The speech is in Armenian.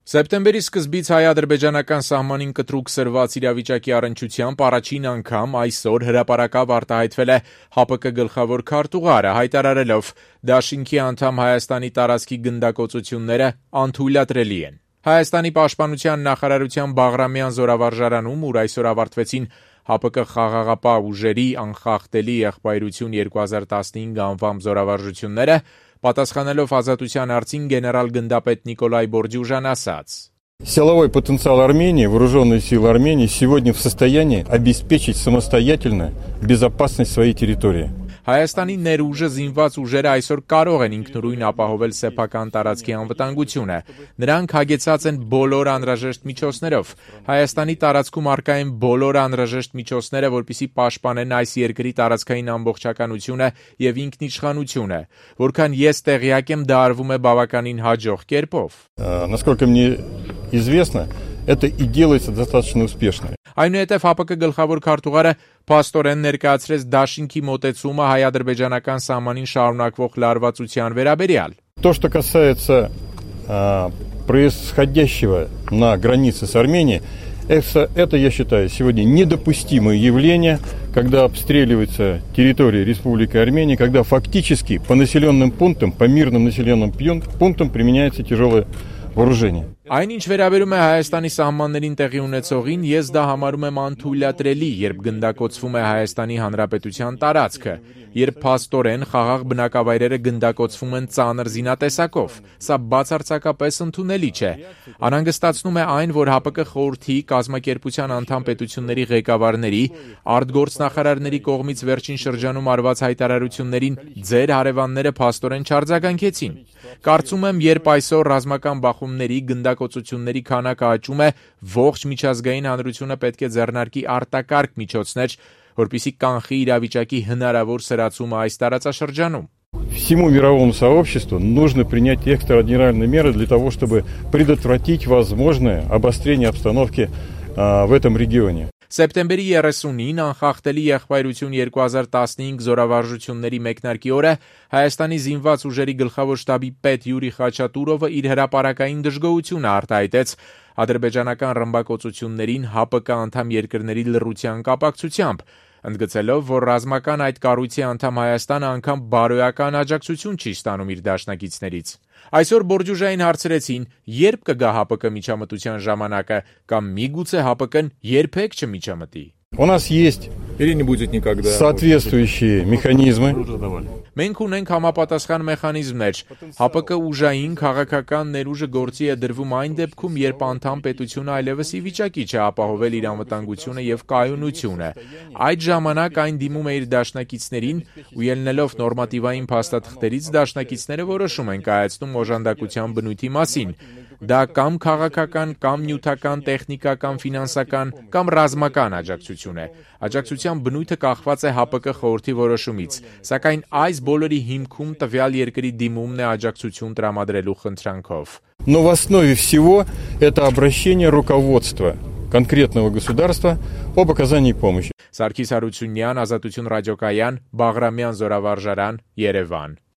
Սեպտեմբերի սկզբից հայ-ադրբեջանական սահմանին կտրուկ սրված իրավիճակի առնչությամբ առաջին անգամ այսօր հրապարակավ արտահայտվել է ՀԱՊԿ գլխավոր քարտուղարը, հայտարարելով դաշինքի անդամ Հայաստանի տարածքի գնդակոծությունները անթույլատրելի են։ Հայաստանի պաշտպանության նախարարության Բաղրամյան զորավարժարանում, ուր այսօր ավարտվեցին ՀԱՊԿ խաղաղապահ ուժերի անխախտելի եղբայրություն 2015 անվամբ զորավարժությունները, պատասխանելով Ազատության հարցին գեներալ գնդապետ Նիկոլայ Բորդյուժան ասաց. Силовой потенциал Армении, вооруженные силы Армении сегодня в состоянии обеспечить самостоятельно безопасность своей территории. Հայաստանի ներուժը զինված ուժերը այսօր կարող են ինքնուրույն ապահովել սեփական տարածքի անվտանգությունը։ Նրանք հագեցած են բոլոր անհրաժեշտ միջոցներով։ Հայաստանի տարածքում առկա են բոլոր անհրաժեշտ միջոցները, որպեսզի պաշտպանեն այս երկրի տարածքային ամբողջականությունը եւ ինքնիշխանությունը։ Որքան ես տեղյակ եմ, դա արվում է բավականին հաջող կերպով։ Насколько мне известно, это и делается достаточно успешно. Այնուհետև ՀԱՊԿ գլխավոր քարտուղարը փաստորեն ներկայացրեց դաշինքի մոտեցումը հայ-ադրբեջանական սահմանին շարունակվող լարվածության վերաբերյալ։ То, что касается происходящего на границе с Арменией, это, я считаю, сегодня недопустимое явление, когда обстреливается территория Республики Армения, когда фактически по населенным пунктам, по мирным населенным пунктам применяется тяжелое вооружение. Այն ինչ վերաբերում է Հայաստանի սահմաններին տեղի ունեցողին, ես դա համարում եմ անթույլատրելի, երբ գնդակոծվում է Հայաստանի Հանրապետության տարածքը, երբ փաստորեն խաղաղ բնակավայրերը գնդակոծվում են ծանր զինատեսակով, սա բացարձակապես ընդունելի չէ։ Անհանգստացնում է այն, որ ՀԱՊԿ խորհրդի կազմակերպության անդամ պետությունների ղեկավարների, արտգործնախարարների կողմից վերջին շրջանում արված հայտարարություններին ձեր հարևանները փաստորեն չարձագանքեցին։ Կարծում եմ, երբ այսօր ռազմական բախումների գնդակոծությունների քանակը աճում է, ողջ միջազգային հանրությունը պետք է ձեռնարկի արտակարգ միջոցներ, որպեսզի կանխի իրավիճակի հնարավոր սրացումը այս տարածաշրջանում։ Всему мировому сообществу нужно принять экстраординарные меры для того, чтобы предотвратить возможное обострение обстановки в этом регионе. Սեպտեմբերի 30-ին անխախտելի եղբայրություն 2015 զորավարժությունների մեկնարկի օրը Հայաստանի զինված ուժերի գլխավոր շտաբի պետ Յուրի Խաչատուրովը իր հրապարակային դժգոհությունը արտահայտեց ադրբեջանական ռմբակոծություններին ՀԱՊԿ անդամ երկրների լռության կապակցությամբ, ընդգծելով, որ ռազմական այդ կառույցի անդամ Հայաստանը անգամ բարոյական աջակցություն չի ստանում իր դաշնակիցներից։ Այսօր Բորդյուժային հարցրեցին, երբ կգա ՀԱՊԿ միջամտության ժամանակը, կամ միգուցե ՀԱՊԿ-ն երբեք չմիջամտի։ У нас есть соответствующие механизмы. Մենք ունենք համապատասխան մեխանիզմներ։ ՀԱՊԿ ուժային քաղաքական ներուժը գործի է դրվում այն դեպքում, երբ անդամ պետությունը այլևս ի վիճակի չէ ապահովել իր անվտանգությունը եւ կայունությունը։ Այդ ժամանակ այն դիմում է իր դաշնակիցներին ու ելնելով նորմատիվային փաստաթղթերից դաշնակիցները որոշում են կայացնում օժանդակության բնույթի մասին։ Դա կամ քաղաքական, կամ նյութական, տեխնիկական, ֆինանսական, կամ ռազմական աջակցություն է։ Աջակցության բնույթը կախված է ՀԱՊԿ խորհրդի որոշումից, սակայն այս բոլորի հիմքում տվյալ երկրի դիմումն է աջակցություն տրամադրելու խնդրանքով։ Но в основе всего это обращение руководства конкретного государства об оказании помощи. Սարգիս Հարությունյան, Ազատություն ռադիոկայան, Բաղրամյան զորավարժարան, Երևան։